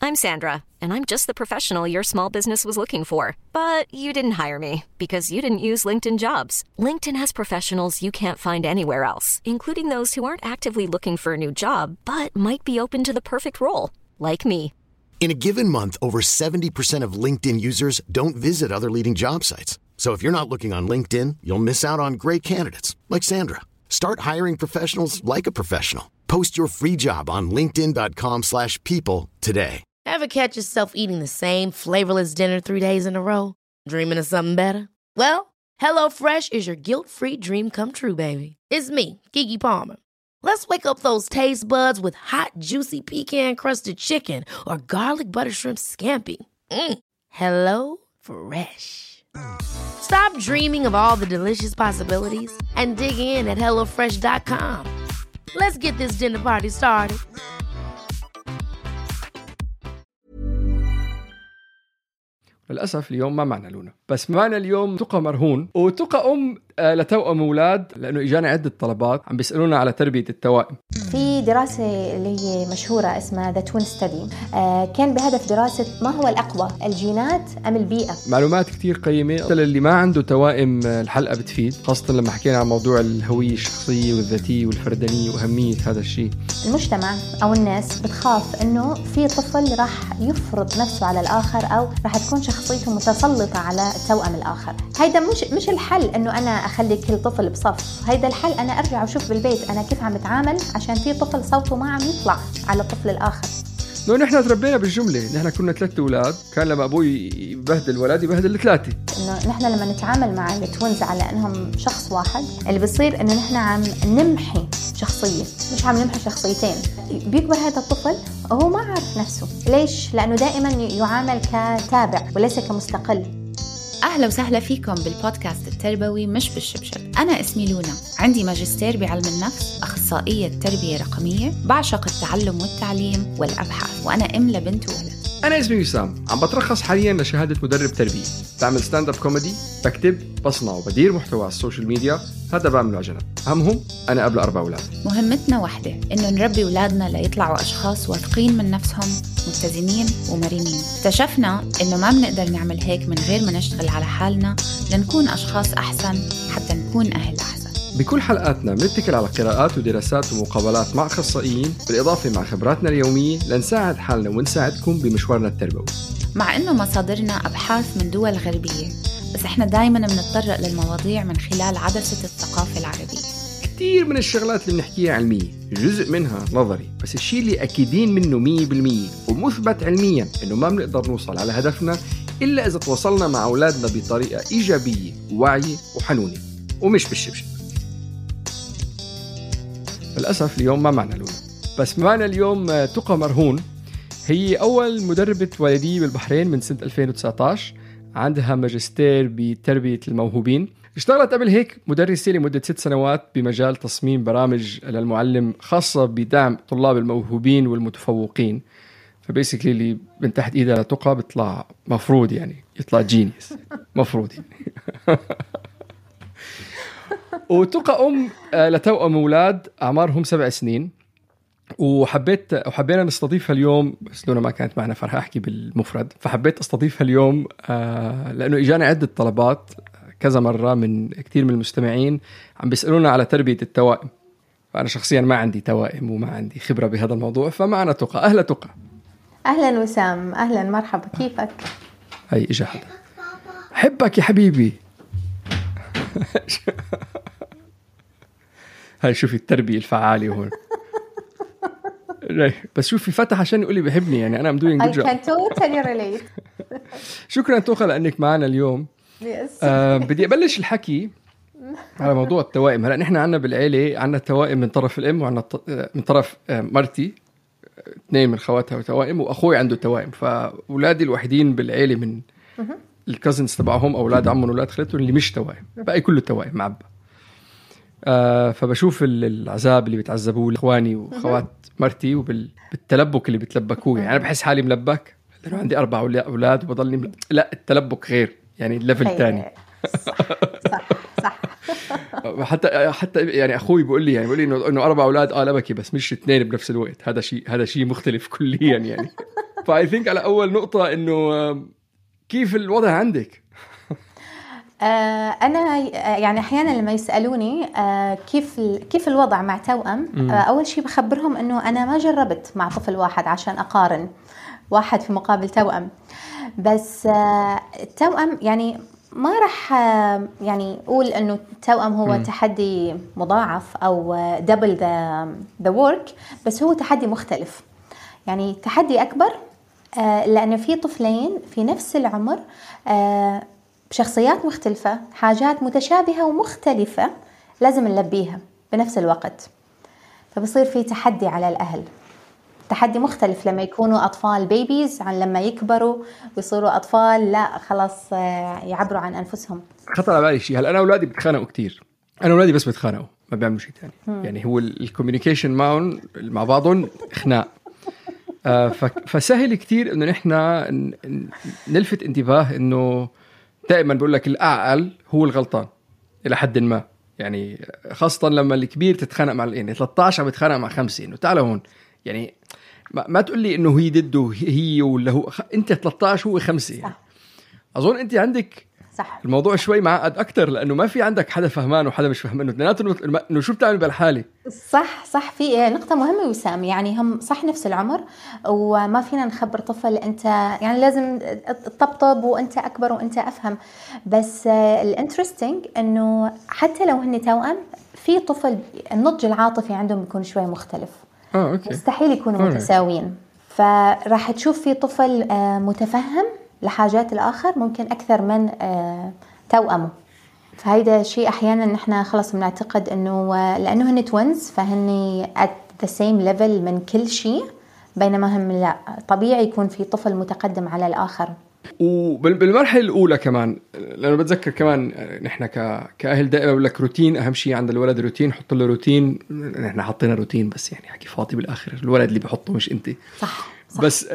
I'm Sandra, and I'm just the professional your small business was looking for. But you didn't hire me because you didn't use LinkedIn Jobs. LinkedIn has professionals you can't find anywhere else, including those who aren't actively looking for a new job, but might be open to the perfect role, like me. In a given month, over 70% of LinkedIn users don't visit other leading job sites. So if you're not looking on LinkedIn, you'll miss out on great candidates like Sandra. Start hiring professionals like a professional. Post your free job on linkedin.com/people today. Ever catch yourself eating the same flavorless dinner 3 days in a row? Dreaming of something better? Well, HelloFresh is your guilt-free dream come true, baby. It's me, Keke Palmer. Let's wake up those taste buds with hot, juicy pecan-crusted chicken or garlic butter shrimp scampi. Hello Fresh. Stop dreaming of all the delicious possibilities and dig in at HelloFresh.com. Let's get this dinner party started. للأسف اليوم ما معنا لونا، بس معنا اليوم تقى مرهون. وتقى لتوأم أولاد، لأنه إجانا عدة طلبات عم بيسألونا على تربية التوائم. في دراسة اللي هي مشهورة اسمها The Twin Study، كان بهدف دراسة ما هو الأقوى، الجينات أم البيئة. معلومات كتير قيمة اللي ما عنده توائم الحلقة بتفيد، خاصة لما حكينا عن موضوع الهوية الشخصية والذاتية والفردانية وأهمية هذا الشيء. المجتمع أو الناس بتخاف إنه في طفل راح يفرض نفسه على الآخر أو راح تكون شخصيته متسلطة على التوأم الآخر. هيدا مش الحل إنه أنا أخلي كل طفل بصف، هيدا الحل أنا أرجع وشوف بالبيت أنا كيف عم بتعامل عشان في طفل صوته ما عم يطلع على الطفل الآخر. نحن تربينا بالجملة، نحن كنا 3 أولاد، كان لما أبوي يبهدل ولادي يبهدل 3. إنه نحن لما نتعامل مع التوينز على إنهم شخص واحد، اللي بيصير إنه نحن عم نمحي شخصية، مش عم نمحي شخصيتين. بيكبر هذا الطفل وهو ما عارف نفسه. ليش؟ لأنه دائما يعامل كتابع وليس كمستقل. أهلا وسهلا فيكم بالبودكاست التربوي مش بالشبشب. أنا اسمي لونا، عندي ماجستير بعلم النفس، أخصائية تربية رقمية، بعشق التعلم والتعليم والأبحاث، وأنا أم لبنت وولد. أنا اسمي وسام، عم بترخص حالياً لشهادة مدرب تربية، بعمل ستاند اب كوميدي، بكتب، بصنع وبدير محتوى على السوشيال ميديا، هذا بعمله على جنب. أهمهم أنا قبل 4 أولاد. مهمتنا واحدة، إنه نربي أولادنا ليطلعوا أشخاص واثقين من نفسهم، متزنين ومرنين. اكتشفنا إنه ما بنقدر نعمل هيك من غير ما نشتغل على حالنا لنكون أشخاص أحسن حتى نكون أهل أحسن. بكل حلقاتنا بنتكل على قراءات ودراسات ومقابلات مع أخصائيين، بالإضافة مع خبراتنا اليومية لنساعد حالنا ونساعدكم بمشوارنا التربوي. مع إنه مصادرنا أبحاث من دول غربية، بس إحنا دايماً بنتطرق للمواضيع من خلال عدسة الثقافة العربية. كتير من الشغلات اللي بنحكيها علمية، جزء منها نظري، بس الشيء اللي أكيدين منه 100% ومثبت علمياً إنه ما بنقدر نوصل على هدفنا إلا إذا تواصلنا مع أولادنا بطريقة إيجابية وواعية وحنونة ومش بالشبشب. للأسف اليوم ما معنا لونا، بس معنا اليوم تقى مرهون. هي أول مدربة والدية بالبحرين من سنة 2019، عندها ماجستير بتربية الموهوبين. اشتغلت قبل هيك مدرسة لمدة 6 سنوات بمجال تصميم برامج للمعلم خاصة بدعم طلاب الموهوبين والمتفوقين. فبيسكلي اللي من تحت إيدها تقى بيطلع مفروض يعني يطلع جينيس مفروض يعني. وتقى لتوأم أولاد أعمارهم 7 سنين، وحبينا نستضيفها اليوم، بس لونا ما كانت معنا فرح أحكي بالمفرد، فحبيت أستضيفها اليوم لأنه إجانا عدة طلبات كذا مرة من كتير من المستمعين عم بيسألونا على تربية التوائم. فأنا شخصيا ما عندي توائم وما عندي خبرة بهذا الموضوع، فمعنا تقى. أهلا تقى. أهلا وسام، أهلا مرحبا، كيفك؟ هاي إجا حدا حبك يا حبيبي. هاي شوفي التربية الفعالة هون. بس شوفي فتح عشان يقول لي بحبني، يعني أنا doing good job. I can totally relate. شكرا توقع لأنك معنا اليوم. بدي أبلش الحكي على موضوع التوائم. هلأ نحن عنا بالعيلة عنا توائم من طرف الأم وعنا من طرف مرتي، 2 من خواتها توائم، وأخوي عنده توائم. فأولادي الوحيدين بالعيلة من الكازنز تبعهم أولاد عمهم وأولاد خالتهم اللي مش توائم، بقى كله توائم معبى. فبشوف العذاب اللي بيتعذبوه إخواني وخوات مرتي وبالتلبك اللي بيتلبكوه. يعني أنا بحس حالي ملبك لأنه عندي 4 أولاد وبضلني لا، التلبك غير، يعني الليفل تاني. صح. حتى يعني أخوي بيقول لي إنه 4 أولاد لبكي، بس مش 2 بنفس الوقت. هذا شيء مختلف كليا يعني. فاي ثينك على اول نقطه انه كيف الوضع عندك؟ أنا يعني أحيانا لما يسألوني كيف الوضع مع توأم، أول شيء بخبرهم أنه أنا ما جربت مع طفل واحد عشان أقارن واحد في مقابل توأم. بس التوأم يعني ما رح يعني أقول أنه التوأم هو تحدي مضاعف أو double the work، بس هو تحدي مختلف، يعني تحدي أكبر لأنه في طفلين في نفس العمر بشخصيات مختلفة، حاجات متشابهة ومختلفة لازم نلبيها بنفس الوقت، فبصير في تحدي على الأهل، تحدي مختلف لما يكونوا أطفال بيبيز عن لما يكبروا ويصيروا أطفال لا خلاص يعبروا عن أنفسهم. خطر على بالي شيء، هلا أنا أولادي بتخانقوا كتير، أنا أولادي بس بتخانقوا ما بيعملوا شيء تاني. يعني هو الكوميونيكيشن معهم مع بعضهم خناق. فسهل كتير إنه نحنا نلفت انتباه إنه دائما بقول لك الأعقل هو الغلطان إلى حد ما، يعني خاصة لما الكبير تتخانق مع يعني 13 بتخانق مع 5 إنه تعال هون، يعني ما تقول لي إنه هي ضده هي ولا هو أنت 13 هو 5 يعني. أظن أنت عندك صح الموضوع شوي معقد أكتر لأنه ما في عندك حدا فهمان وحدا مش فهمانه، إنه شو بتعمل بالحالة. صح في نقطة مهمة وسام، يعني هم صح نفس العمر وما فينا نخبر طفل أنت يعني لازم تطبطب وأنت أكبر وأنت أفهم، بس الانترستينج إنه حتى لو هن توأم في طفل النضج العاطفي عندهم بيكون شوي مختلف. أوكي. مستحيل يكونوا متساويين، فراح تشوف في طفل متفهم لحاجات الآخر ممكن أكثر من توأمه. فهيدا شيء أحيانا نحن خلص بنعتقد إنه لأنه هن توينز فهن at the same level من كل شيء، بينما هم لا، طبيعي يكون في طفل متقدم على الآخر. وبالمرحلة الأولى كمان، لأنه بتذكر كمان نحن كأهل دائما بقول لك روتين أهم شيء عند الولد، روتين، حط له روتين. نحن حطينا روتين بس يعني حكي فاضي بالآخر، الولد اللي بيحطه مش أنت. صح. بس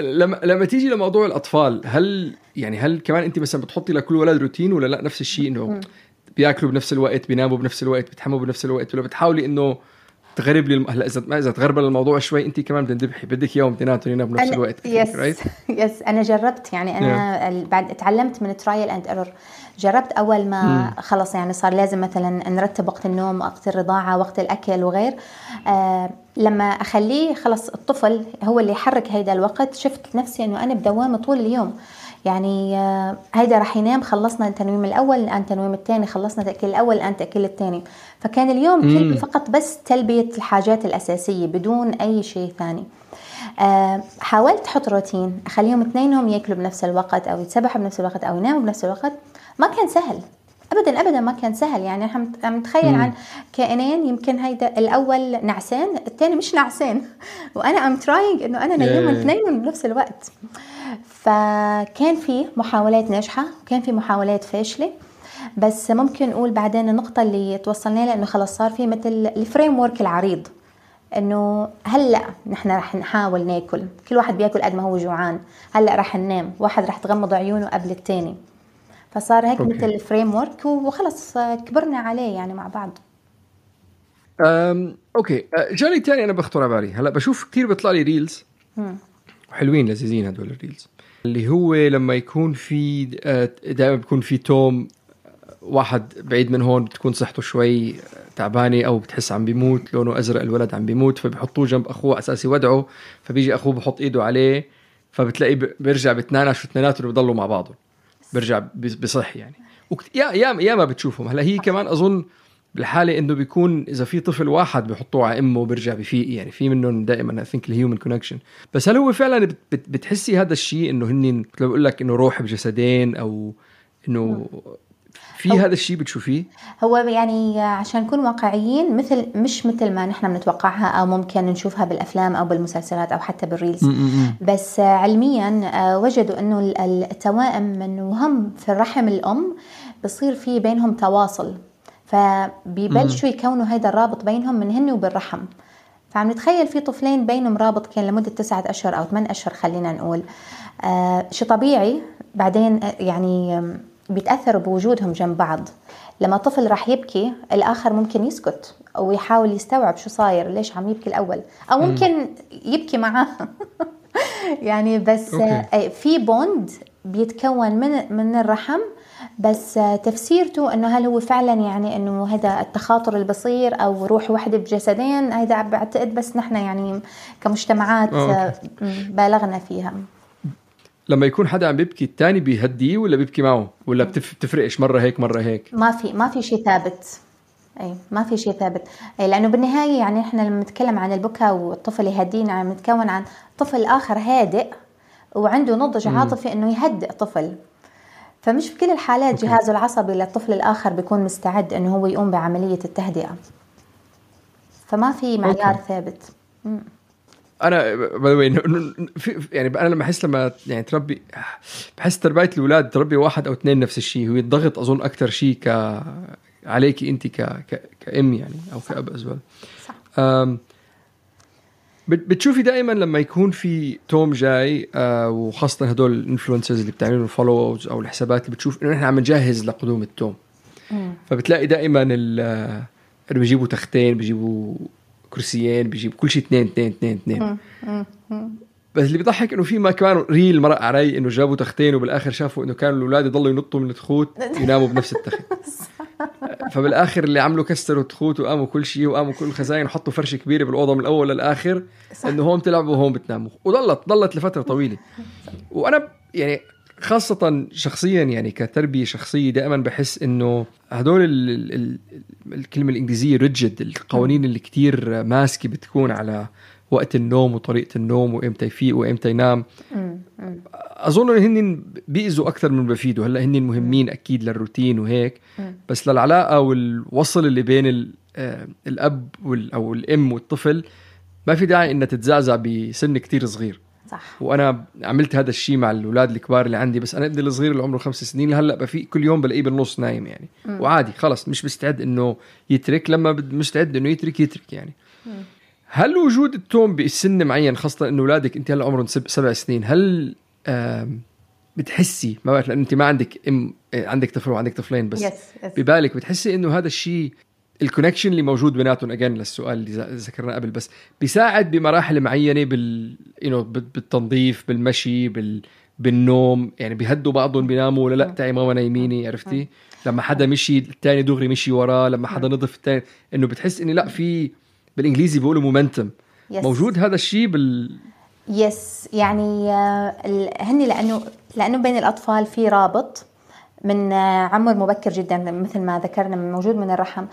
لما تيجي لموضوع الأطفال، هل كمان أنت مثلا بتحطي لكل ولد روتين ولا لا نفس الشيء، إنه بياكلوا بنفس الوقت، بيناموا بنفس الوقت، بيتحموا بنفس الوقت، ولا بتحاولي إنه تغرب لي هلا إذا تغرب الموضوع شوي أنت كمان بتندبحي بدك يوم تناتوا يناموا بنفس الوقت. يس أنا جربت، يعني أنا بعد تعلمت من ترايل أند إيرور. جربت أول ما خلص يعني صار لازم مثلا نرتب وقت النوم، وقت الرضاعة، وقت الأكل وغير. لما أخليه خلص الطفل هو اللي يحرك هيدا الوقت، شفت نفسي أنه أنا بدوامة طول اليوم، يعني هيدا رح ينام، خلصنا التنويم الأول الآن تنويم الثاني، خلصنا تأكيل الأول الآن تأكيل الثاني. فكان اليوم كله فقط بس تلبية الحاجات الأساسية بدون أي شيء ثاني. حاولت أحط روتين أخليهم اثنينهم يأكلوا بنفس الوقت أو يتسبحوا بنفس الوقت أو يناموا بنفس الوقت، ما كان سهل أبدا ما كان سهل. يعني احنا متخيل عن كائنين يمكن هيدا الأول نعسان الثاني مش نعسان، وأنا I'm trying إنه أنا نيمهم اثنينهم بنفس الوقت. فكان في محاولات ناجحة وكان في محاولات فاشلة، بس ممكن نقول بعدين النقطة اللي توصلنا لها إنه خلص صار في مثل الفريم وورك العريض، إنه هلأ نحن رح نحاول ناكل، كل واحد بياكل قد ما هو جوعان، هلأ رح ننام، واحد رح تغمض عيونه قبل التاني. فصار هيك مثل الفريم وورك وخلص كبرنا عليه يعني مع بعض. أوكي. جالي تاني أنا بخطر على بالي هلأ، بشوف كتير بيطلع لي ريلز حلوين لذيذين هدول الريلز، اللي هو لما يكون في دائما بيكون في توم واحد بعيد من هون بتكون صحته شوي تعبانة أو بتحس عم بيموت، لونه أزرق الولد عم بيموت، فبيحطوه جنب أخوه أساسي ودعه، فبيجي أخوه بحط إيده عليه، فبتلاقي بيرجع بتنانش واثنيناتهم بيضلوا مع بعضهم، بيرجع بصح يعني. يا ما بتشوفهم هلا. هي كمان أظن بالحالة إنه بيكون إذا في طفل واحد بيحطوه على أمه وبرجع بفيق، يعني في منهم دائما I think الهيومن كونكشن. بس هل هو فعلا بتحسي هذا الشيء إنه هنين بقول لك إنه روح بجسدين، أو إنه في هذا الشيء بتشوفيه؟ هو يعني عشان نكون واقعيين مش مثل ما نحن بنتوقعها أو ممكن نشوفها بالأفلام أو بالمسلسلات أو حتى بالريلز. بس علميا وجدوا إنه التوائم من وهم في الرحم الأم بصير في بينهم تواصل، فبيبلشوا يكونوا هيدا الرابط بينهم من هن وبالرحم. فعم نتخيل في طفلين بينهم رابط كان لمدة 9 أشهر أو 8 أشهر خلينا نقول، شيء طبيعي. بعدين يعني بيتأثروا بوجودهم جنب بعض. لما طفل راح يبكي الآخر ممكن يسكت أو يحاول يستوعب شو صاير، ليش عم يبكي الأول، أو ممكن يبكي معاه يعني بس في بوند بيتكون من الرحم، بس تفسيرته انه هل هو فعلا يعني انه هذا التخاطر اللي بصير او روح واحدة بجسدين، هذا بعتقد بس نحن يعني كمجتمعات بالغنا فيها. لما يكون حدا عم بيبكي التاني بيهديه ولا بيبكي معه، ولا بتفرقش مرة هيك مرة هيك؟ ما في شيء ثابت. ما في شيء ثابت، لأنه بالنهاية يعني إحنا لما نتكلم عن البكاء والطفل يهدينا عم نتكون عن طفل آخر هادئ وعنده نضج عاطفي إنه يهدئ طفل. فمش بكل الحالات جهازه العصبي للطفل الآخر بيكون مستعد إنه هو يقوم بعملية التهدئة. فما في معيار ثابت. أنا يعني أنا لما أحس لما يعني تربي، بحس تربية الأولاد تربي واحد أو اثنين نفس الشيء، هو الضغط أظن أكتر شيء عليكي أنت كأم يعني أو كأب أزول. بتشوفي دائما لما يكون في توم جاي وخاصة هدول الانفلونسرز اللي بتعملوا الفولوز أو الحسابات اللي بتشوف إنه نحن عم نجهز لقدوم التوم، فبتلاقي دائما اللي بيجيبوا تختين، بيجيبوا كرسيين، بيجيبوا كل شيء اثنين. بس اللي بيضحك إنه في ما كمان ريل مرق علي إنه جابوا تختين وبالآخر شافوا إنه كانوا الأولاد يضلوا ينطوا من التخوت يناموا بنفس التخت. فبالآخر اللي عملوا كسروا التخوت وقاموا كل شيء وقاموا كل الخزاين وحطوا فرشة كبيرة بالأوضة من الأول للآخر، إنه هون تلعبوا وهون بتناموا، وضلت لفترة طويلة. وأنا يعني خاصة شخصيا يعني كتربية شخصية دائما بحس إنه هدول الكلمة الإنجليزية rigid، القوانين اللي كتير ماسكة بتكون على وقت النوم وطريقة النوم وإمتى يفيق وإمتى ينام. أظن إن هن بيأذوا أكثر من بفيدوا. هلأ هن مهمين أكيد للروتين وهيك، بس للعلاقة والوصل اللي بين الأب أو الأم والطفل ما في داعي إنها تتزعزع بسن كتير صغير. صح. وأنا عملت هذا الشيء مع الأولاد الكبار اللي عندي، بس أنا ابني الصغير اللي عمره 5 سنين هلأ بفيق كل يوم بلاقيه بالنص نايم يعني. وعادي خلص مش مستعد إنه يترك، لما مستعد إنه يترك يعني. هل وجود التوم بسن معين، خاصة إنه أولادك أنت هلأ عمرهم 7 سنين، هل بتحسي ما بعرف لأن أنت ما عندك طفل وعندك طفلين بس ببالك بتحسي إنه هذا الشيء الكونكشن اللي موجود بيناتهم أجان للسؤال اللي ذكرنا قبل، بس بيساعد بمراحل معينة بالتنظيف، بالمشي، بالنوم، يعني بيهدوا بعضهم بيناموا ولا لا تعي ماما نايميني، عرفتي لما حدا مشي الثاني دغري مشي وراه، لما حدا نظف الثاني، إنه بتحس إنه لا في بالإنجليزي بيقولوا مومنتم موجود هذا الشيء يعني هني لأنه بين الأطفال في رابط من عمر مبكر جدا مثل ما ذكرنا من موجود من الرحم،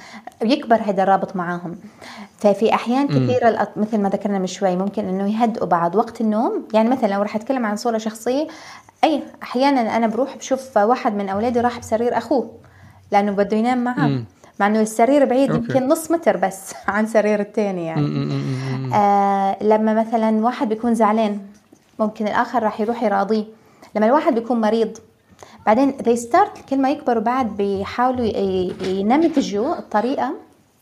يكبر هذا الرابط معاهم. ففي أحيان كثيرة مثل ما ذكرنا من شوي ممكن إنه يهدئوا بعض وقت النوم. يعني مثلا لو رح أتكلم عن صورة شخصية، أحيانا أنا بروح بشوف واحد من أولادي راح بسرير أخوه لأنه بده ينام معه، مع إنه السرير بعيد يمكن نص متر بس عن سرير التاني يعني. لما مثلا واحد بيكون زعلان ممكن الآخر راح يروح يراضيه. لما الواحد بيكون مريض بعدين كل ما يكبروا بعد بيحاولوا ينمذجوا الطريقة.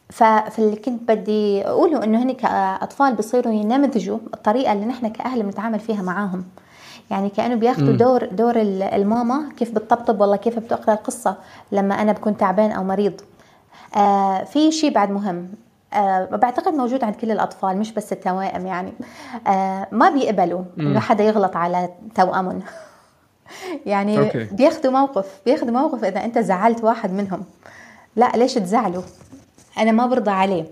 فاللي كنت بدي أقوله إنه هني كأطفال بيصيروا ينمذجوا الطريقة اللي نحن كأهل بنتعامل فيها معاهم. يعني كأنه بياخدوا دور الماما، كيف بتطبطب والله كيف بتقرأ القصة لما أنا بكون تعبان أو مريض. في شيء بعد مهم بعتقد موجود عند كل الأطفال مش بس التوائم يعني. ما بيقبلوا إنه حدا يغلط على توأمهم. يعني بياخدوا موقف إذا أنت زعلت واحد منهم، لا ليش تزعلوا، أنا ما برضى عليه.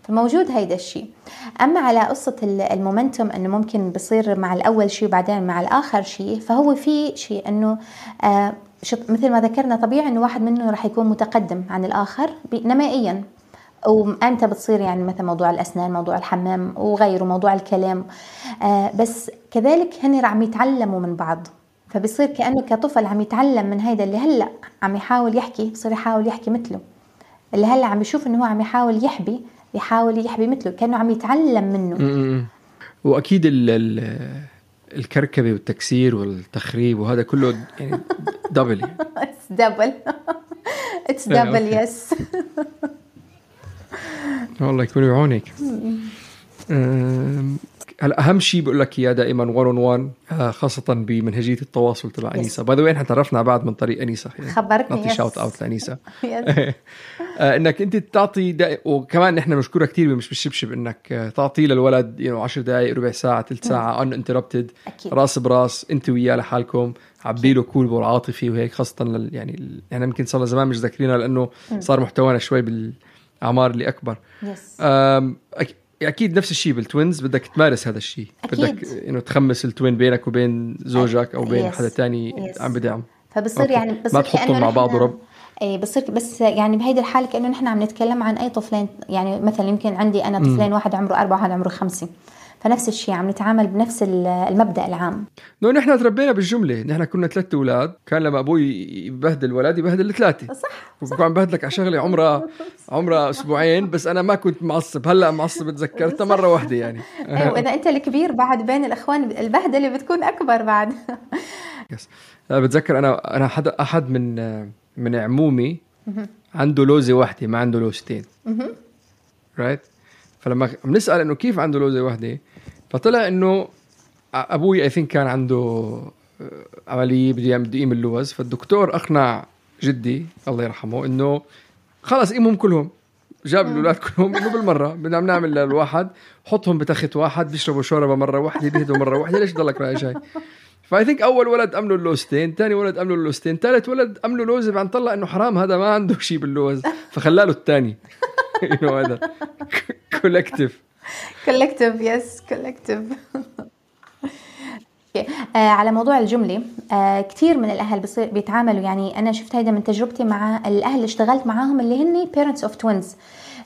فموجود هيدا الشيء. أما على قصة المومنتوم أنه ممكن بصير مع الأول شيء وبعدين مع الآخر شيء، فهو في شيء أنه مثل ما ذكرنا طبيعي أنه واحد منه رح يكون متقدم عن الآخر نمائيا، وأنت بتصير يعني مثل موضوع الأسنان، موضوع الحمام وغيره، موضوع الكلام. بس كذلك هن عم يتعلموا من بعض، فبصير كأنه كطفل عم يتعلم من هيدا اللي هلأ عم يحاول يحكي، بصير يحاول يحكي مثله. اللي هلأ عم يشوف إنه هو عم يحاول يحبي مثله، كأنه عم يتعلم منه. وأكيد الكركبة والتكسير والتخريب وهذا كله يعني دبل. It's double yes. والله يكون بعونك. هلا أهم شيء بقول لك إياه دائما 1-on-1 خاصة بمنهجية التواصل تبع أنيسة. باي ذا واي إحنا تعرفنا بعد من طريق أنيسة، خبرتني نعطي شاوت أوت لأنيسة. انك انت تعطي وكمان نحن بنشكرها كتير مش بالشبشب انك تعطي للولد 10 دقائق ربع ساعه ثلث ساعه uninterrupted راس براس انت وياه لحالكم عبي له كول والعاطفي وهيك خاصه يعني احنا يمكن صار زمان مش ذاكرينها لانه صار محتوانا شوي بالاعمار اللي اكبر. اكيد نفس الشيء بالتوينز بدك تمارس هذا الشيء بدك انه تخمس التوين بينك وبين زوجك او بين حدا تاني عم بدعم فبصير يعني ما تحطهم مع بعض ورب بصير بس يعني بهيدي الحالة كأنه نحن عم نتكلم عن أي طفلين يعني مثلا يمكن عندي أنا طفلين واحد عمره 4 وواحد عمره 5 فنفس الشيء عم نتعامل بنفس المبدأ العام. نحن تربينا بالجملة نحن كنا 3 أولاد كان لما أبوي يبهدل ولد يبهدل 3 صح وبكون عم بهدلك على شغلة عمرها أسبوعين بس أنا ما كنت معصب هلأ معصب تذكرتها مرة واحدة يعني. أيوة إذا أنت الكبير بعد بين الأخوان البهدلة بتكون أكبر بعد. بتذكر أنا أحد من عمومي عنده لوزة واحدة ما عنده لوزتين right فلما بنسأل إنه كيف عنده لوزة واحدة فطلع إنه أبوي I think كان عنده عملية بده يقيم اللوز فالدكتور أقنع جدي الله يرحمه إنه خلاص قيمهم كلهم جاب الأولاد كلهم إنه بالمرة بدنا نعمل للواحد حطهم بتخت واحد بيشربوا شوربة مرة واحدة بيهدوا مرة واحدة ليش ضلك رأي جاي فاي ثينك اول ولد امله اللوزتين ثاني ولد امله اللوزتين ثالث ولد امله لوزه بعد طلع انه حرام هذا ما عنده شيء باللوز فخلاله الثاني هذا كولكتيف يس كولكتيف. على موضوع الجملة كتير من الأهل بيتعاملوا يعني أنا شفت هيدا من تجربتي مع الأهل اللي اشتغلت معاهم اللي هني parents of twins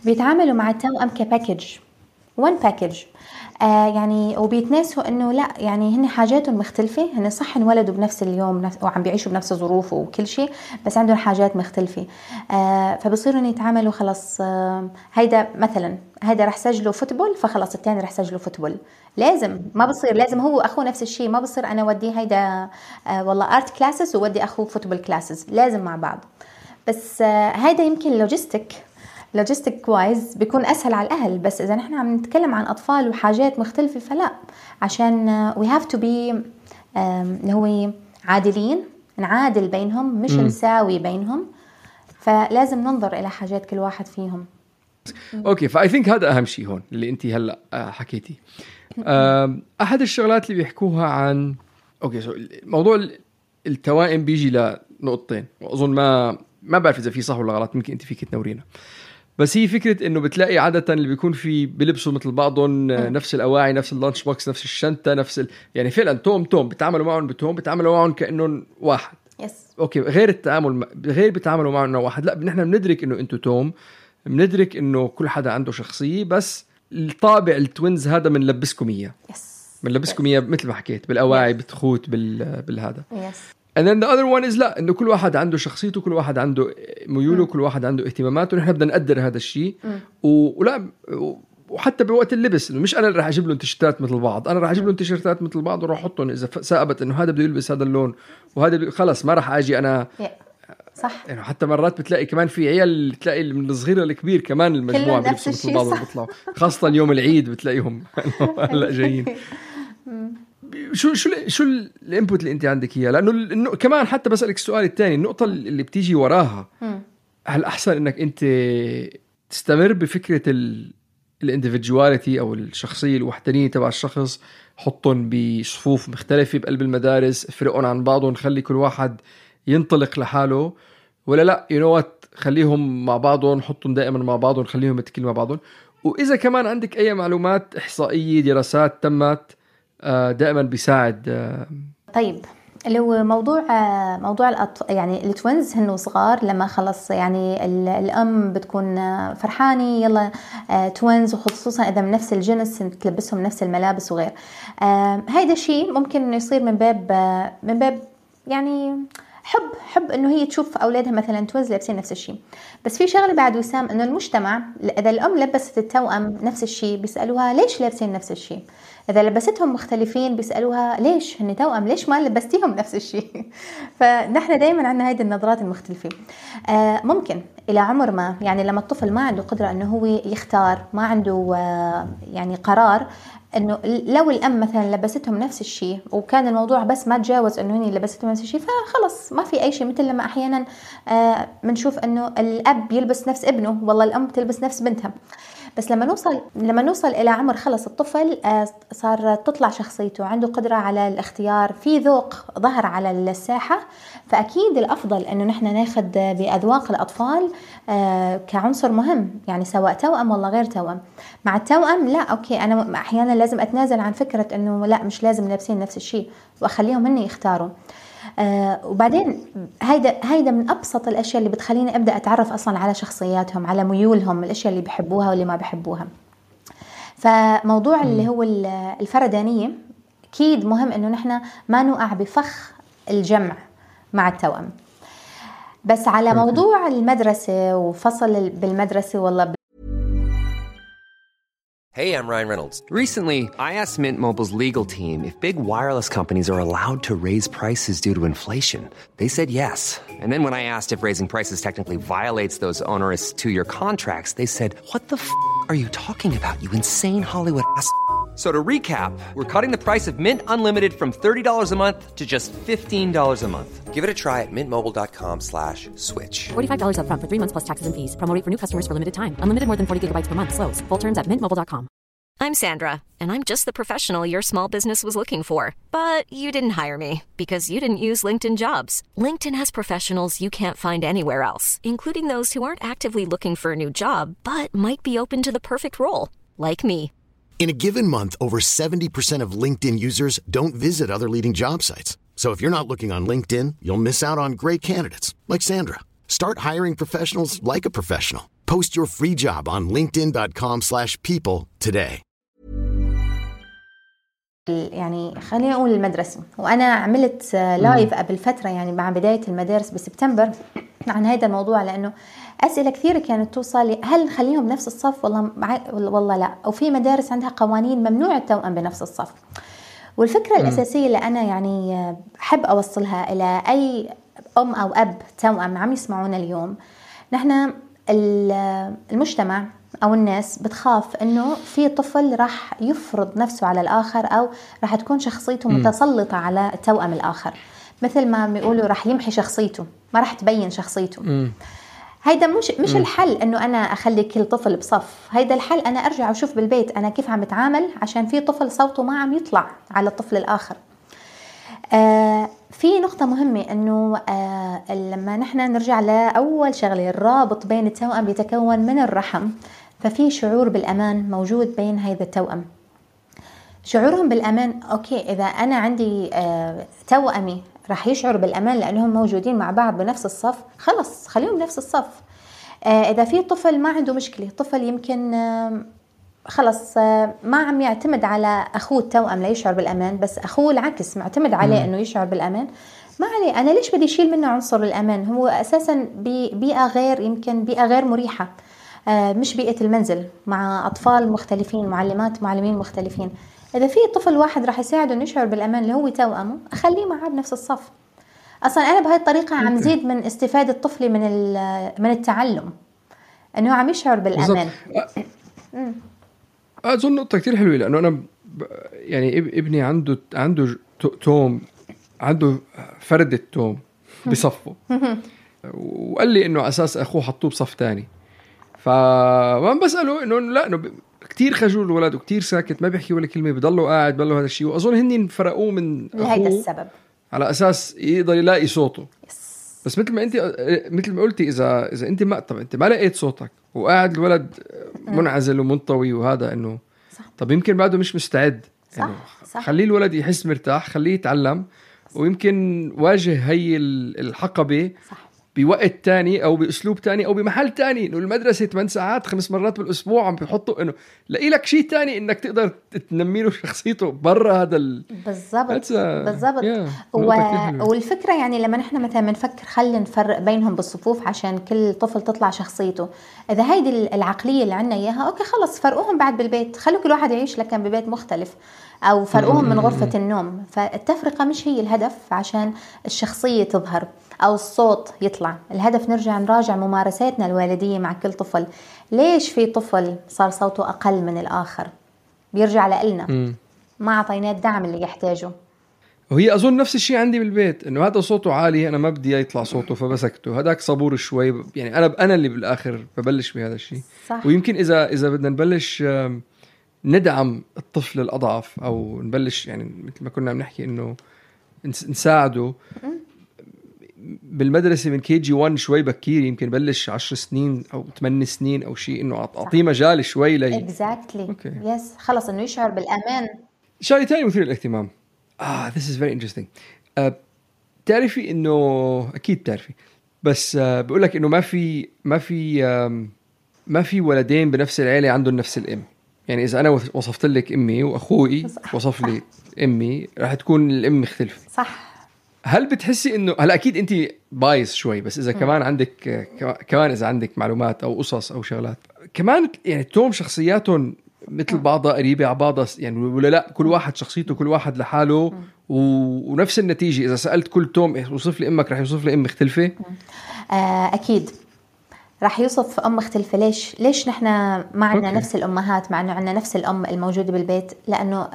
بيتعاملوا مع التوأم كباكج one package يعني وبيتناسوا انه لا يعني هن حاجاتهم مختلفه هن صح انولدوا بنفس اليوم وعم بيعيشوا بنفس الظروف وكل شيء بس عندهم حاجات مختلفه فبصيروا يتعاملوا خلص هيدا مثلا هيدا رح سجله فوتبول فخلص الثاني رح سجله فوتبول لازم ما بصير لازم هو اخوه نفس الشيء ما بصير انا ودي هيدا والله ارت كلاسز وودي اخوه فوتبول كلاسز لازم مع بعض بس هيدا يمكن لوجيستيك وايز بيكون أسهل على الأهل بس إذا نحن عم نتكلم عن أطفال وحاجات مختلفة فلا عشان we have to be اللي هو عادلين نعادل بينهم مش نساوي بينهم فلازم ننظر إلى حاجات كل واحد فيهم. أوكي فاي ثينك هذا أهم شيء هون اللي أنتي هلأ حكيتي. أحد الشغلات اللي بيحكوها عن موضوع التوائم بيجي لنقطتين وأظن ما بعرف إذا في صح ولا غلط ممكن أنت فيك تنورينا بس هي فكرة إنه بتلاقي عادة اللي بيكون في بيلبسوا مثل بعضهم نفس الأواعي نفس اللانش بوكس نفس الشنطة يعني فعلا توم بتعاملوا معهم كأنهم واحد. أوكي غير بتعاملوا معهم إنه واحد لا نحن بندرك إنه أنتوا توم بندرك إنه كل حدا عنده شخصية بس الطابع التوينز هذا بنلبسكم إياه بنلبسكم إياه مثل ما حكيت بالأواعي بتخوت بالهذا and then the other one is لا إنه كل واحد عنده شخصيته كل واحد عنده ميوله كل واحد عنده اهتماماته ونحن بدنا نقدر هذا الشيء ولا وحتى بوقت اللبس إنه مش أنا اللي راح أجيب لهم تيشيرتات مثل بعض أنا راح أجيب لهم تيشيرتات مثل بعض وراح أحطهم إذا ثابت إنه هذا بده يلبس هذا اللون وهذا خلص ما راح أجي أنا صح يعني حتى مرات بتلاقي كمان في عيال تلاقي من الصغير للكبير كمان المجموعة بيلبسوا مثل بعض وبيطلعوا خاصة يوم العيد بتلاقيهم هلا جايين. شو الانبوت اللي انت عندك اياه لانه كمان حتى بسألك السؤال الثاني النقطة اللي بتيجي وراها هل احسن انك انت تستمر بفكرة الانديفيدواليتي او الشخصية الوحدانية تبع الشخص حطهم بصفوف مختلفة بقلب المدارس افرقهم عن بعضهم خلي كل واحد ينطلق لحاله ولا لا خليهم مع بعضهم حطهم دائما مع بعضهم خليهم يتكلموا مع بعضهم واذا كمان عندك اي معلومات احصائية دراسات تمت دائما بيساعد. طيب اللي هو موضوع يعني التوينز هنو صغار لما خلص يعني الأم بتكون فرحانة يلا توينز وخصوصا إذا من نفس الجنس تلبسهم نفس الملابس وغير هيدا شيء ممكن يصير من باب يعني حب إنه هي تشوف أولادها مثلا توينز لابسين نفس الشيء بس في شغلة بعد وسام إنه المجتمع إذا الأم لبست التوأم نفس الشيء بيسألوها ليش لابسين نفس الشيء إذا لبستهم مختلفين بيسألوها ليش هن توأم ليش ما لبستيهم نفس الشيء فنحن دايما عندنا هيدي النظرات المختلفة ممكن إلى عمر ما يعني لما الطفل ما عنده قدرة إنه هو يختار ما عنده يعني قرار إنه لو الأم مثلا لبستهم نفس الشيء وكان الموضوع بس ما تجاوز إنه هني لبستهم نفس الشيء فخلص ما في أي شيء. مثل لما أحيانا بنشوف إنه الأب يلبس نفس ابنه، والله الأم تلبس نفس بنتها. بس لما نوصل إلى عمر خلص الطفل صار تطلع شخصيته، عنده قدرة على الاختيار، في ذوق ظهر على الساحة، فأكيد الأفضل إنه نحن ناخد بأذواق الأطفال كعنصر مهم، يعني سواء توأم ولا غير توأم. مع التوأم لا أوكي، أنا أحيانا لازم أتنازل عن فكرة إنه لا مش لازم لابسين نفس الشيء وأخليهم هن يختاروا. وبعدين هيدا من أبسط الأشياء اللي بتخليني أبدأ أتعرف أصلا على شخصياتهم، على ميولهم، الأشياء اللي بيحبوها واللي ما بيحبوها. فموضوع اللي هو الفردانية أكيد مهم إنه نحن ما نوقع بفخ الجمع مع التوأم. بس على موضوع المدرسة وفصل بالمدرسة والله Hey, I'm Ryan Reynolds. Recently, I asked Mint Mobile's legal team if big wireless companies are allowed to raise prices due to inflation. They said yes. And then when I asked if raising prices technically violates those onerous 2-year contracts, they said, "What the f*** are you talking about, you insane Hollywood ass?" So to recap, we're cutting the price of Mint Unlimited from $30 a month to just $15 a month. Give it a try at mintmobile.com/switch. $45 up front for 3 months plus taxes and fees. Promo rate for new customers for limited time. Unlimited more than 40 gigabytes per month. Slows full terms at mintmobile.com. I'm Sandra, and I'm just the professional your small business was looking for. But you didn't hire me because you didn't use LinkedIn Jobs. LinkedIn has professionals you can't find anywhere else, including those who aren't actively looking for a new job, but might be open to the perfect role, like me. In a given month, over 70% of LinkedIn users don't visit other leading job sites. So if you're not looking on LinkedIn, you'll miss out on great candidates like Sandra. Start hiring professionals like a professional. Post your free job on linkedin.com/people today. يعني خلينا نقول المدرسة، وأنا عملت لايف قبل فترة يعني مع بداية المدارس بسبتمبر عن هذا الموضوع، لأنه أسئلة كثيرة كانت توصل لي، هل نخليهم بنفس الصف والله لا، أو في مدارس عندها قوانين ممنوع التوأم بنفس الصف. والفكرة الأساسية اللي أنا يعني أحب أوصلها إلى أي أم أو أب توأم عم يسمعونا اليوم، نحن المجتمع أو الناس بتخاف إنه في طفل راح يفرض نفسه على الآخر، أو راح تكون شخصيته متسلطة على التوأم الآخر، مثل ما بيقولوا راح يمحي شخصيته، ما راح تبين شخصيته. هيدا مش الحل إنه أنا أخلي كل طفل بصف. هيدا الحل أنا أرجع وشوف بالبيت أنا كيف عم بتعامل عشان في طفل صوته ما عم يطلع على الطفل الآخر. في نقطة مهمة إنه لما نحن نرجع لأول شغلة، الرابط بين التوأم يتكون من الرحم، ففي شعور بالأمان موجود بين هذا التوأم. شعورهم بالأمان أوكي، إذا أنا عندي توأمي راح يشعر بالأمان لأنهم موجودين مع بعض بنفس الصف، خلص خليهم بنفس الصف. إذا في طفل ما عنده مشكلة، طفل يمكن خلص ما عم يعتمد على أخوه التوأم ليشعر بالأمان، بس أخوه العكس معتمد عليه إنه يشعر بالأمان، ما عليه، أنا ليش بدي أشيل منه عنصر الأمان؟ هو أساسا بيئة غير، يمكن بيئة غير مريحة، مش بيئة المنزل مع أطفال مختلفين، معلمين مختلفين. إذا في طفل واحد راح يساعده إنه يشعر بالأمان اللي هو توأمه، أخليه معاه بنفس الصف. أصلا أنا بهاي الطريقة عم زيد من استفادة طفلي من التعلم، إنه عم يشعر بالأمان. أظن نقطة كتير حلوة، لأنه أنا يعني ابني عنده توم، عنده فردة توم بصفه، وقال لي إنه أساس أخوه حطوه بصف تاني، فما بسأله إنه لا، إنه كتير خجول الولد وكتير ساكت، ما بيحكي ولا كلمة، بيضلوا قاعد بيضلوا هذا الشيء. وأظن هني فرقوه من لهذا السبب على أساس يقدر يلاقي صوته. بس مثل ما قلتي، إذا أنت ما لقيت صوتك وقاعد الولد منعزل ومنطوي وهذا، إنه طب يمكن بعده مش مستعد. صح. خليه الولد يحس مرتاح، خليه يتعلم، ويمكن واجه هي الحقبة بوقت تاني أو بأسلوب تاني أو بمحل تاني. إنه المدرسة 8 ساعات 5 مرات بالأسبوع عم بيحطوا، إنه لاقي لك شيء تاني إنك تقدر تنمي له شخصيته برا هذا بالضبط. والفكرة يعني لما نحن مثلا بنفكر خلينا نفرق بينهم بالصفوف عشان كل طفل تطلع شخصيته، إذا هيدي العقلية اللي عنا إياها أوكي خلص فرقوهم بعد بالبيت، خلوا كل واحد يعيش لكن ببيت مختلف، أو فرقوهم من غرفة النوم. فالتفرقة مش هي الهدف عشان الشخصية تظهر أو الصوت يطلع. الهدف نراجع ممارساتنا الوالدية مع كل طفل. ليش في طفل صار صوته أقل من الآخر؟ بيرجع لنا، ما عطيناه الدعم اللي يحتاجه. وهي أظن نفس الشيء عندي بالبيت، إنه هذا صوته عالي أنا ما بدي يطلع صوته فبسكته، هداك صبور شوي، يعني أنا اللي بالآخر ببلش بهذا الشيء. ويمكن إذا بدنا نبلش ندعم الطفل الأضعف أو نبلش يعني مثل ما كنا بنحكي إنه نساعده بالمدرسة من KG1 شوي بكير، يمكن بلش 10 سنين أو 8 سنين أو شيء، إنه أعطيه مجال شوي لي. exactly. يس خلص إنه يشعر بالأمان. شيء تاني مثير للاهتمام. this is very interesting. تعرفي إنه أكيد تعرفي، بس بقولك إنه ما في ولدين بنفس العيلة عندهم نفس الأم. يعني إذا أنا وصفت لك أمي وأخوي وصف لي أمي راح تكون الأم مختلفة. صح. هل بتحسي إنه هلا أكيد أنت بايظ شوي، بس إذا كمان عندك كمان إذا عندك معلومات أو قصص أو شغلات كمان، يعني توم شخصياتهم مثل بعضها قريبة على بعضها يعني، ولا لا كل واحد شخصيته كل واحد لحاله ونفس النتيجة. إذا سألت كل توم وصف لي أمك راح يوصف لي أم مختلفة. أكيد راح يوصف أم مختلفة. ليش نحن ما عندنا نفس الأمهات مع أنه عندنا نفس الأم الموجودة بالبيت؟ لأنه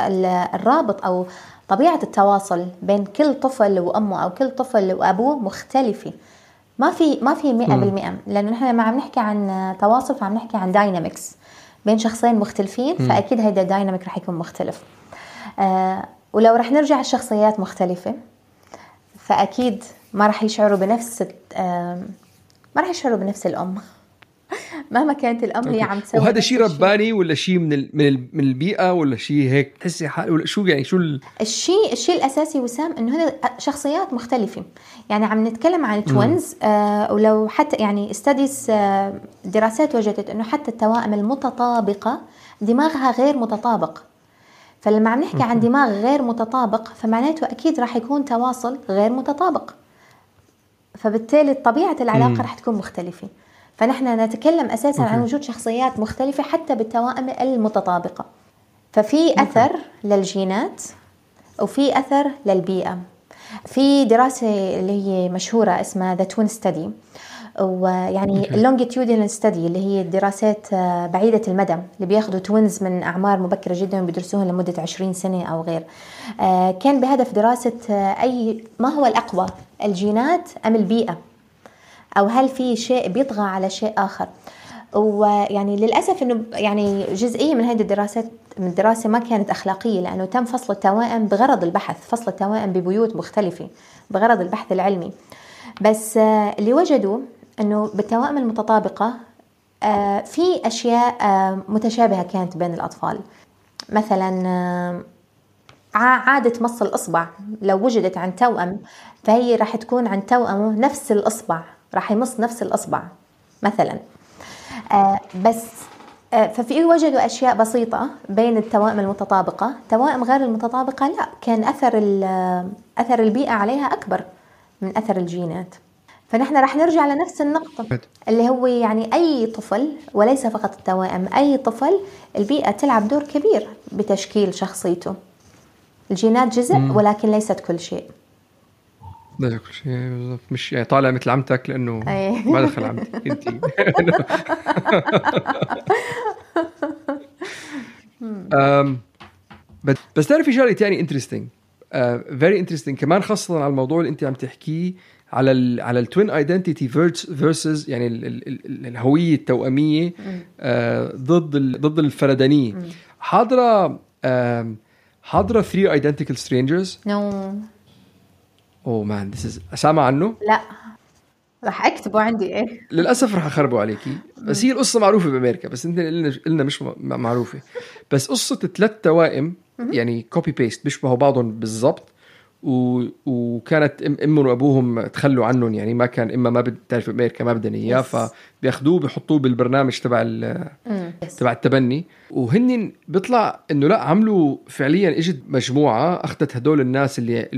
الرابط أو طبيعة التواصل بين كل طفل وأمه أو كل طفل وأبوه مختلفة. ما في 100%، لأنه نحن ما عم نحكي عن تواصل، فعم نحكي عن داينامكس بين شخصين مختلفين، فأكيد هيدا الدايناميك رح يكون مختلف. ولو رح نرجع الشخصيات مختلفة فأكيد ما رح يشعروا بنفس الأم مهما كانت الأم اللي عم تسوي. وهذا شيء رباني ولا شيء من البيئة ولا شيء هيك تحسي ولا شو يعني شو الشيء الأساسي وسام إنه هذا شخصيات مختلفة. يعني عم نتكلم عن توينز، ولو حتى يعني استديس دراسات وجدت إنه حتى التوائم المتطابقة دماغها غير متطابق. فلما عم نحكي عن دماغ غير متطابق فمعناته أكيد راح يكون تواصل غير متطابق، فبالتالي طبيعة العلاقة راح تكون مختلفة. فنحن نتكلم أساساً عن وجود شخصيات مختلفة حتى بالتوائم المتطابقة. ففي أثر للجينات وفي أثر للبيئة. في دراسة اللي هي مشهورة اسمها The Twin Study، ويعني longitudinal study اللي هي الدراسات بعيدة المدى اللي بياخدوا توينز من أعمار مبكرة جدا وبيدرسوهم لمدة 20 سنة أو غير. كان بهدف دراسة ما هو الأقوى، الجينات أم البيئة، أو هل في شيء بيطغى على شيء آخر. ويعني للأسف إنه يعني جزئية من هذه الدراسات من الدراسة ما كانت أخلاقية، لأنه تم فصل التوائم بغرض البحث، فصل التوائم ببيوت مختلفة بغرض البحث العلمي. بس اللي وجدوا إنه بالتوائم المتطابقة في أشياء متشابهة كانت بين الأطفال. مثلا عادة مص الإصبع لو وجدت عن توأم فهي راح تكون عن توأمه نفس الإصبع، راح يمص نفس الإصبع مثلا. بس ففي وجدوا أشياء بسيطة بين التوائم المتطابقة. توائم غير المتطابقة لا، كان أثر البيئة عليها أكبر من أثر الجينات. فنحن راح نرجع لنفس النقطة اللي هو يعني أي طفل وليس فقط التوائم، أي طفل البيئة تلعب دور كبير بتشكيل شخصيته. الجينات جزء ولكن ليست كل شيء. ده كل شيء بالضبط، مش يعني طالع مثل عمتك لأنه ما دخل عمتك انتي. بس تعرفي شغلة تاني interesting very interesting كمان، خاصة على الموضوع اللي انت عم تحكيه على التوين ايدنتيتي versus يعني الهوية التوأمية ضد الفردانية. حاضرة 3 identical strangers. Oh man, this is سامع عنه؟ لا راح أكتبه عندي. للأسف راح أخربه عليكي، بس هي القصة معروفة بأمريكا بس انت قلنا مش معروفة. بس قصة 3 توائم يعني copy paste بيشبهوا بعضهم بالضبط، وكانت امهم وابوهم تخلوا عنهم، يعني ما كان ما بتعرف امريكا ما بدنا اياه، فبياخذوه بيحطوه بالبرنامج تبع التبني. وهن بيطلع انه لا، عملوا فعليا اجت مجموعه اخذت هدول الناس اللي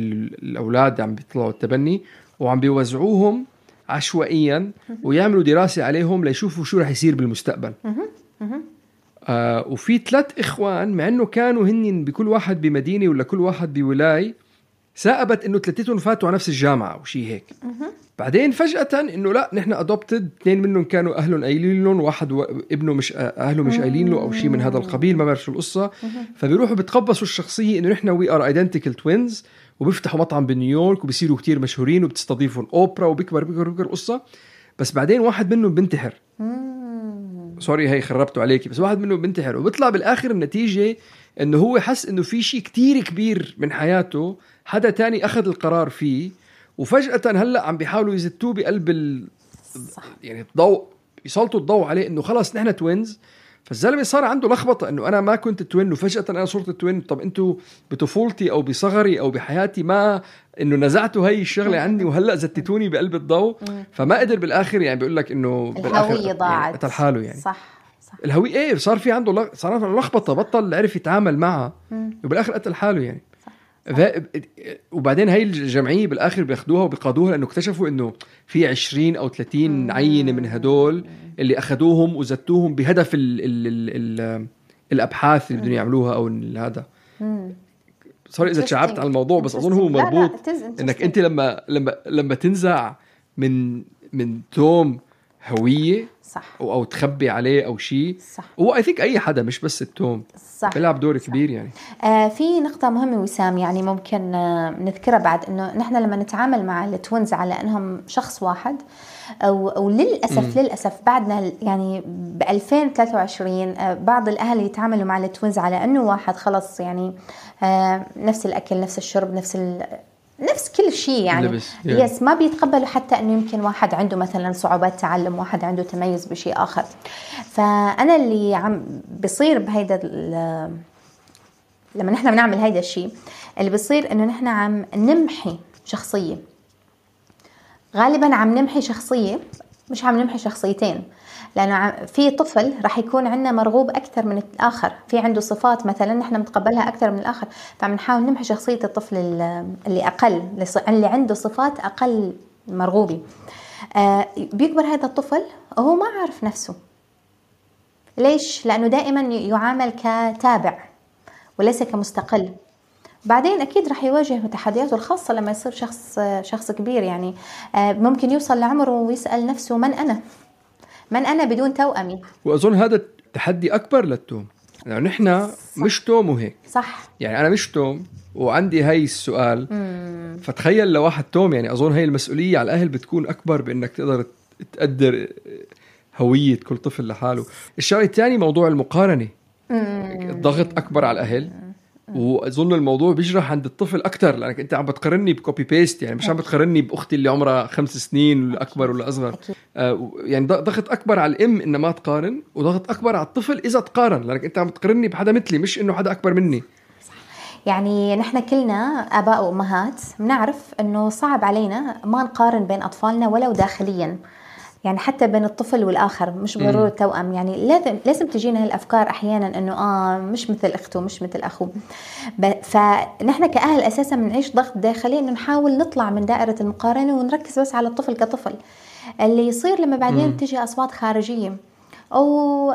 الاولاد عم بيطلعوا التبني وعم بيوزعوهم عشوائيا ويعملوا دراسه عليهم ليشوفوا شو راح يصير بالمستقبل. وفي 3 إخوان مع انه كانوا هن بكل واحد بمدينه ولا كل واحد بولايه، ثاقبت انه ثلاثتهم فاتوا على نفس الجامعه او شيء هيك. بعدين فجاه انه لا نحن ادوبتد، اثنين منهم كانوا اهلهم قايلين لهم، واحد ابنه مش اهله مش قايلين له او شيء من هذا القبيل، ما بعرف شو القصه. فبيروحوا بتقبصوا الشخصيه انه نحن وي ار ايدنتيكال توينز، وبيفتحوا مطعم بنيويورك وبيصيروا كتير مشهورين وبتستضيفهم اوبرا وبيكبر القصه. بس بعدين واحد منهم بنتحر. سوري هي خربته عليكي، بس واحد منهم بنتحر، وبيطلع بالاخر النتيجه انه هو حس انه في شيء كتير كبير من حياته حدا تاني اخذ القرار فيه، وفجأة هلا عم بيحاولوا يزتوه بقلب يعني الضوء، يسلطوا الضوء عليه انه خلاص نحن توينز. فالزلمه صار عنده لخبطه انه انا ما كنت توين وفجأة انا صرت توين. طب انتوا بطفولتي او بصغري او بحياتي ما انه نزعتوا هاي الشغله عني وهلا زتتوني بقلب الضوء. فما قدر بالاخر، يعني بيقول لك انه الهويه ضاعت، قتل حاله يعني. صح الهويه ايه، صار في عنده لخبطه، بطل عرف يتعامل معها وبالاخر قتل حاله يعني. وبعدين هاي الجمعية بالآخر بياخدوها وبيقادوها لأنه اكتشفوا إنه في 20 أو 30 عينة من هدول اللي أخدوهم وزتوهم بهدف الأبحاث اللي بدهم يعملوها أو هذا. صار إذا تشعبت على الموضوع، بس أظن هو مربوط إنك أنت لما تنزع من توم هوية صح. أو تخبي عليه أو شيء، هو I think أي حدا مش بس التوم بيلعب دور كبير يعني. في نقطة مهمة وسام يعني ممكن نذكرها بعد، إنه نحن لما نتعامل مع التوينز على إنهم شخص واحد، أو للأسف بعدنا يعني ب 2023 بعض الأهل يتعاملوا مع التوينز على إنه واحد خلص يعني نفس الأكل نفس الشرب نفس كل شيء يعني يس ما بيتقبلوا حتى انه يمكن واحد عنده مثلا صعوبات تعلم، واحد عنده تميز بشيء اخر. فانا اللي عم بيصير بهيدا لما نحن بنعمل هيدا الشيء اللي بيصير انه نحن عم نمحي شخصيه، غالبا عم نمحي شخصيه مش عم نمحي شخصيتين، لأنه في طفل رح يكون عندنا مرغوب أكثر من الآخر، في عنده صفات مثلا نحن متقبلها أكثر من الآخر، فعم نحاول نمحي شخصية الطفل اللي أقل، اللي عنده صفات أقل مرغوبة. بيكبر هذا الطفل وهو ما عارف نفسه. ليش؟ لأنه دائما يعامل كتابع وليس كمستقل. بعدين أكيد رح يواجه تحدياته الخاصة لما يصير شخص كبير، يعني ممكن يوصل لعمره ويسأل نفسه من أنا بدون توأمي. وأظن هذا تحدي أكبر للتوم، يعني نحن مش توم وهيك صح، يعني أنا مش توم وعندي هاي السؤال. فتخيل لو واحد توم، يعني أظن هاي المسؤولية على الأهل بتكون أكبر بأنك تقدر تقدر هوية كل طفل لحاله. الشيء الثاني موضوع المقارنة، الضغط أكبر على الأهل، وأظن الموضوع بيجرح عند الطفل أكتر لأنك أنت عم بتقارني بكوبي بيست، يعني مش عم بتقارني بأختي اللي عمرها 5 سنين ولا أكبر ولا أصغر. يعني ضغط أكبر على الأم إنه ما تقارن، وضغط أكبر على الطفل إذا تقارن، لأنك أنت عم بتقارني بحدا مثلي مش إنه حدا أكبر مني. يعني نحن كلنا آباء وأمهات بنعرف إنه صعب علينا ما نقارن بين أطفالنا ولو داخليا، يعني حتى بين الطفل والآخر، مش ضروري توأم. يعني لازم تجينا هالأفكار أحيانا إنه مش مثل أخته مش مثل أخوه. فنحن كأهل أساسا بنعيش ضغط داخلي إنه نحاول نطلع من دائرة المقارنة ونركز بس على الطفل كطفل. اللي يصير لما بعدين تجي أصوات خارجية أو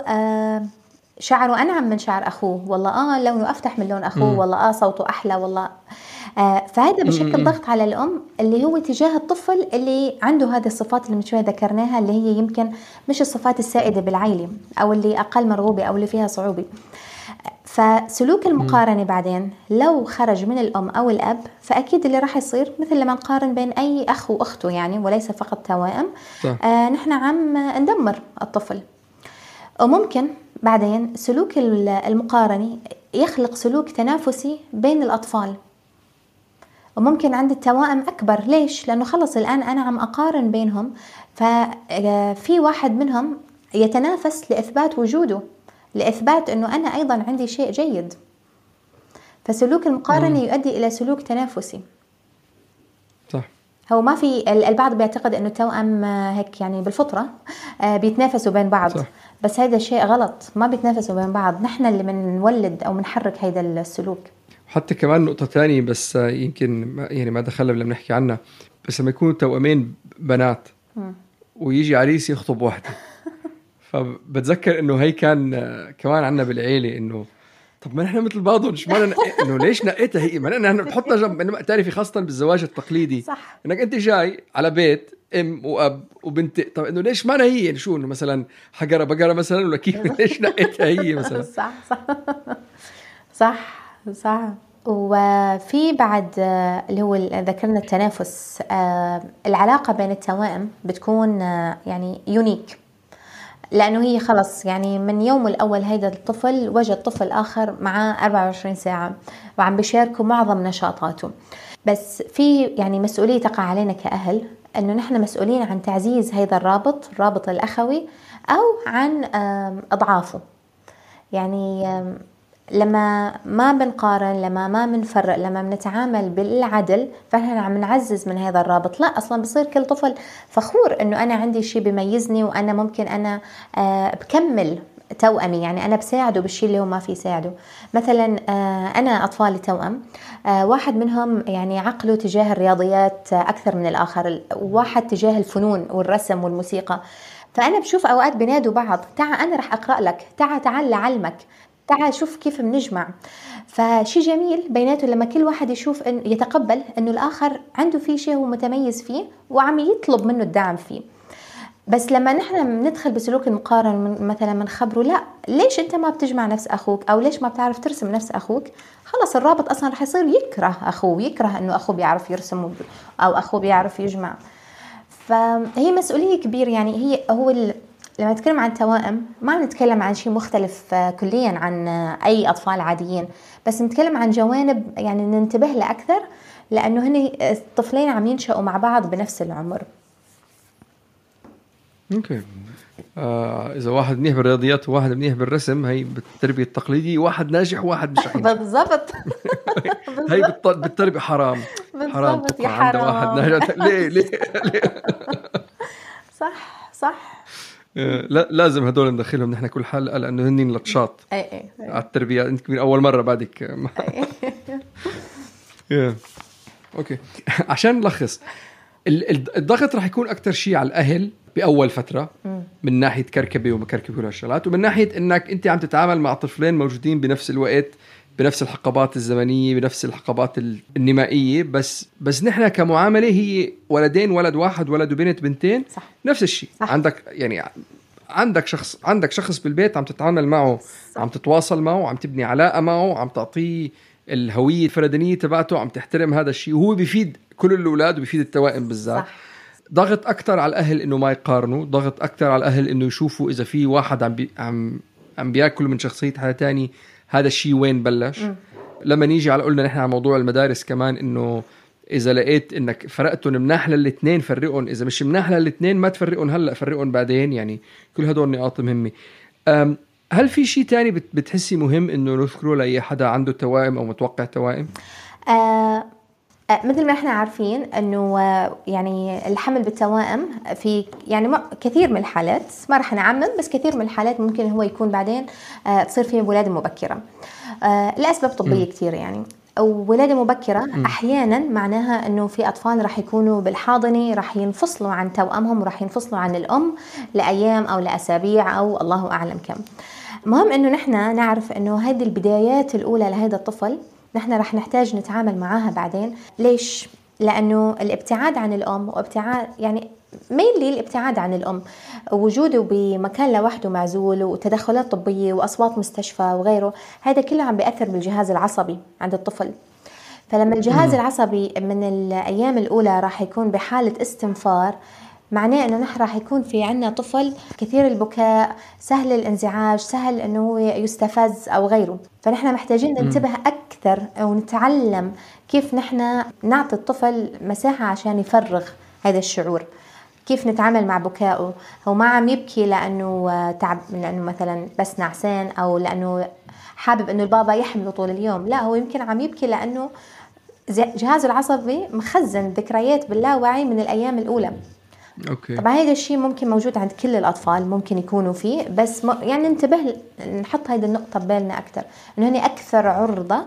شعره أنعم من شعر أخوه، والله لونه أفتح من لون أخوه، والله صوته أحلى، والله فهذا بشكل ضغط على الأم اللي هو تجاه الطفل اللي عنده هذه الصفات اللي من شوي ذكرناها، اللي هي يمكن مش الصفات السائدة بالعائلة أو اللي أقل مرغوبة أو اللي فيها صعوبة. فسلوك المقارنة بعدين لو خرج من الأم أو الأب، فأكيد اللي راح يصير مثل لما نقارن بين أي أخ وأخته يعني، وليس فقط توائم. نحن عم ندمر الطفل. وممكن بعدين سلوك المقارنة يخلق سلوك تنافسي بين الأطفال، وممكن عند التوائم أكبر. ليش؟ لأنه خلص الآن أنا عم أقارن بينهم، ففي واحد منهم يتنافس لإثبات وجوده، لإثبات أنه أنا أيضا عندي شيء جيد. فسلوك المقارنة يؤدي إلى سلوك تنافسي. صح. هو ما في البعض بيعتقد أنه التوأم هيك يعني بالفطرة بيتنافسوا بين بعض. صح. بس هذا شيء غلط، ما بيتنافسوا بين بعض، نحن اللي بنولد أو بنحرك هذا السلوك. حتى كمان نقطة تانية بس يمكن يعني ما دخلنا لما نحكي عنها، بس لما يكونوا توأمين بنات ويجي عريس يخطب واحدة فبتذكر إنه هي كان كمان عنا بالعيلة إنه طب ما نحن مثل بعضهم، مش معنى انه ليش نقيتها هي؟ ما نحن بنحطها جنب، انه تعرفي خاصه بالزواج التقليدي صح. انك انت جاي على بيت ام واب وبنت، طب انه ليش معنى هي؟ يعني شو انه مثلا حجره بقره مثلا، ولا كيف؟ ليش نقيتها هي مثلا؟ صح صح صح صح. وفي بعد اللي هو ذكرنا التنافس، العلاقة بين التوائم بتكون يعني يونيك، لأنه هي خلص يعني من يوم الأول هيدا الطفل وجد طفل آخر معاه 24 ساعة وعم بيشاركوا معظم نشاطاته. بس في يعني مسؤولية تقع علينا كأهل، أنه نحن مسؤولين عن تعزيز هيدا الرابط الأخوي أو عن أضعافه. يعني لما ما بنقارن، لما ما بنفرق، لما بنتعامل بالعدل، فنحن عم نعزز من هذا الرابط. لا أصلا بصير كل طفل فخور أنه أنا عندي شيء بيميزني، وأنا ممكن أنا بكمل توأمي، يعني أنا بساعده بالشيء اللي هو ما في يساعده. مثلا أنا أطفالي توأم، واحد منهم يعني عقله تجاه الرياضيات أكثر من الآخر، وواحد تجاه الفنون والرسم والموسيقى. فأنا بشوف أوقات بينادوا بعض، تعال أنا رح أقرأ لك، تعال لعلمك، تعال شوف كيف بنجمع. فشي جميل بيناته لما كل واحد يشوف إن يتقبل إنه الآخر عنده فيه شيء هو متميز فيه وعم يطلب منه الدعم فيه. بس لما نحن ندخل بسلوك المقارنة، مثلا منخبره لا ليش أنت ما بتجمع نفس أخوك، أو ليش ما بتعرف ترسم نفس أخوك، خلص الرابط أصلا رح يصير يكره أخوه، يكره إنه أخوه بيعرف يرسم أو أخوه بيعرف يجمع. فهي مسؤولية كبيرة. يعني لما نتكلم عن توائم ما نتكلم عن شيء مختلف كليا عن أي أطفال عاديين، بس نتكلم عن جوانب يعني ننتبه له أكثر، لأنه هن الطفلين عم ينشأوا مع بعض بنفس العمر. اوكي. إذا واحد منيح بالرياضيات وواحد منيح بالرسم، هي بالتربية التقليدية واحد ناجح وواحد مش ناجح. بالضبط. هي بالتربية حرام تبقى عند واحد ناجح. ليه صح. لا لازم هدول ندخلهم نحن كل حلقة، لأنه هنين لطشات أي. على التربية. أنت من أول مرة بعدك. أوكي. عشان نلخص، الضغط رح يكون أكتر شيء على الأهل بأول فترة، من ناحية كركبة ومكركبة والشغلات، ومن ناحية إنك أنت عم تتعامل مع طفلين موجودين بنفس الوقت، بنفس الحقبات الزمنية، بنفس الحقبات النمائية. بس نحن كمعاملة هي ولدين، ولد واحد، ولد وبنت، بنتين، صح. نفس الشيء. عندك شخص بالبيت عم تتعامل معه، صح. عم تتواصل معه، عم تبني علاقة معه، عم تعطيه الهوية الفردانية تبعته، عم تحترم هذا الشيء، وهو بيفيد كل الأولاد وبيفيد التوائم بالذات. ضغط أكتر على الأهل إنه ما يقارنوا، ضغط أكتر على الأهل إنه يشوفوا إذا في واحد عم بياكل من شخصية حدا تاني، هذا الشيء وين بلش. لما نيجي على قلنا نحن على موضوع المدارس كمان، إنه إذا لقيت إنك فرقتهم مناح للاثنين فرقهم، إذا مش مناح للاثنين ما تفرقهم هلأ، فرقهم بعدين. يعني كل هدول نقاط مهمة. هل في شيء تاني بتحسي مهم إنه نذكره لأي حدا عنده توائم أو متوقع توائم؟ مثل ما احنا عارفين انه يعني الحمل بالتوائم في يعني كثير من الحالات، ما رح نعمم، بس كثير من الحالات ممكن هو يكون بعدين تصير فيه ولادة مبكرة لأسباب طبية كثير. يعني ولادة مبكرة أحيانا معناها أنه في أطفال رح يكونوا بالحاضنة رح ينفصلوا عن توأمهم ورح ينفصلوا عن الأم لأيام أو لأسابيع أو الله أعلم كم. مهم أنه نحن نعرف أنه هذه البدايات الأولى لهذا الطفل نحن رح نحتاج نتعامل معاها بعدين. ليش؟ لأنه الابتعاد عن الأم وابتعاد يعني mainly الابتعاد عن الأم، وجوده بمكان لوحده معزول وتدخلات طبية وأصوات مستشفى وغيره، هذا كله عم بيأثر بالجهاز العصبي عند الطفل. فلما الجهاز العصبي من الأيام الأولى راح يكون بحالة استنفار، معناه أنه نحن راح يكون في عنا طفل كثير البكاء، سهل الانزعاج، سهل أنه هو يستفز أو غيره. فنحن محتاجين ننتبه أكثر ونتعلم كيف نحن نعطي الطفل مساحة عشان يفرغ هذا الشعور. كيف نتعامل مع بكائه، هو ما عم يبكي لأنه تعب، لأنه مثلا بس نعسان أو لأنه حابب أنه البابا يحمله طول اليوم، لا هو يمكن عم يبكي لأنه جهازه العصبي مخزن ذكريات باللاوعي من الأيام الأولى. أوكي. طبعا هذا الشيء ممكن موجود عند كل الأطفال، ممكن يكونوا فيه، بس يعني ننتبه نحط هذه النقطة ببالنا أكتر، إنه هني أكثر عرضة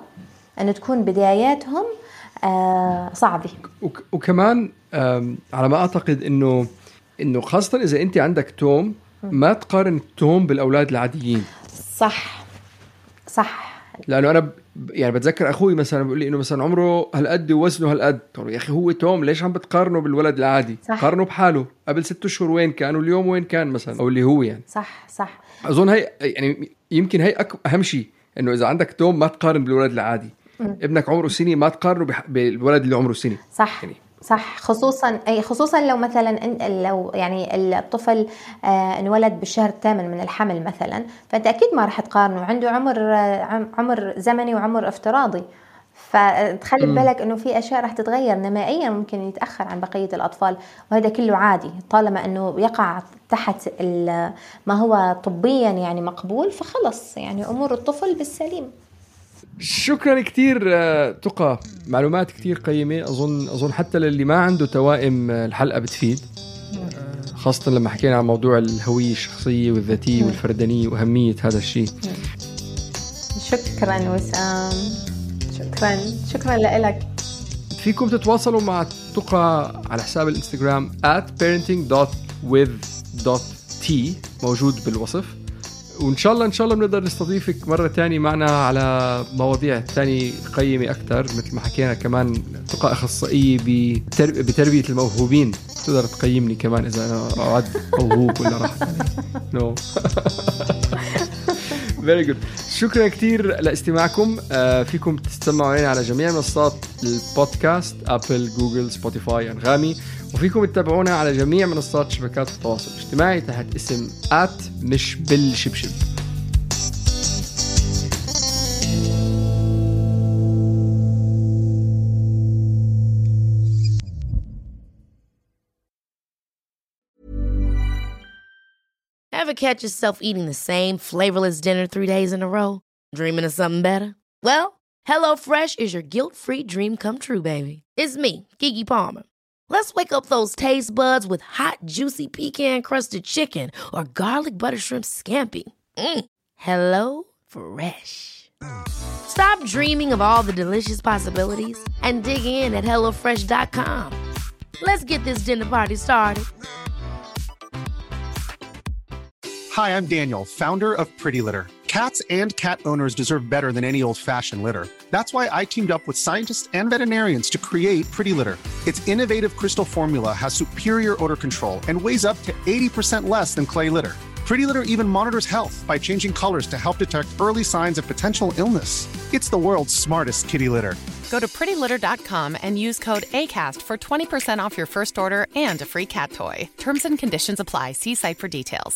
أن تكون بداياتهم صعبة. وكمان على ما أعتقد إنه خاصة إذا أنت عندك توم، ما تقارن التوم بالأولاد العاديين. صح لأنه أنا يعني بتذكر أخوي مثلا بيقول لي إنه مثلا عمره هالقد ووزنه هالقد. يا أخي هو توم، ليش عم بتقارنه بالولد العادي؟ صح. قارنه بحاله قبل 6 أشهر وين كان واليوم وين كان مثلا، أو اللي هو يعني. صح. أظن هاي يعني يمكن هاي أهم شيء، إنه إذا عندك توم ما تقارن بالولد العادي. ابنك عمره سنة ما تقارنه بالولد اللي عمره سنة. صح يعني. صح، خصوصا لو مثلا لو يعني الطفل انولد بالشهر الثامن من الحمل مثلا، فانت اكيد ما راح تقارنه، عنده عمر زمني وعمر افتراضي، فتخلي بالك انه في اشياء راح تتغير نمائيا، ممكن يتاخر عن بقيه الاطفال، وهذا كله عادي طالما انه يقع تحت ما هو طبيا يعني مقبول، فخلص يعني امور الطفل بالسليم. شكرا كتير تقى، معلومات كتير قيمة. أظن حتى للي ما عنده توائم الحلقة بتفيد، خاصة لما حكينا عن موضوع الهوية الشخصية والذاتية والفردانية وأهمية هذا الشيء. شكرا وسام، شكرا لك. فيكم تتواصلوا مع تقى على حساب الانستغرام @parenting.with.t موجود بالوصف، وإن شاء الله بنقدر نستضيفك مرة تانية معنا على مواضيع تانية قيمة أكتر. مثل ما حكينا كمان تقى أخصائية بتربية الموهوبين، تقدر تقيمني كمان إذا أنا أعد موهوب ولا راح نو. Very good. شكرا كتير لاستماعكم. فيكم تستمعوا علينا على جميع منصات البودكاست، أبل، جوجل، سبوتيفاي، أنغامي، وفيكم تتابعونا على جميع منصات شبكات التواصل الاجتماعي تحت اسم مش بالشبشب. Ever catch yourself eating the same flavorless dinner 3 days in a row? Dreaming of something better? Well, HelloFresh is your guilt-free dream come true, baby. It's me, Keke Palmer. Let's wake up those taste buds with hot, juicy pecan-crusted chicken or garlic butter shrimp scampi. HelloFresh. Stop dreaming of all the delicious possibilities and dig in at HelloFresh.com. Let's get this dinner party started. Hi, I'm Daniel, founder of Pretty Litter. Cats and cat owners deserve better than any old-fashioned litter. That's why I teamed up with scientists and veterinarians to create Pretty Litter. Its innovative crystal formula has superior odor control and weighs up to 80% less than clay litter. Pretty Litter even monitors health by changing colors to help detect early signs of potential illness. It's the world's smartest kitty litter. Go to prettylitter.com and use code ACAST for 20% off your first order and a free cat toy. Terms and conditions apply. See site for details.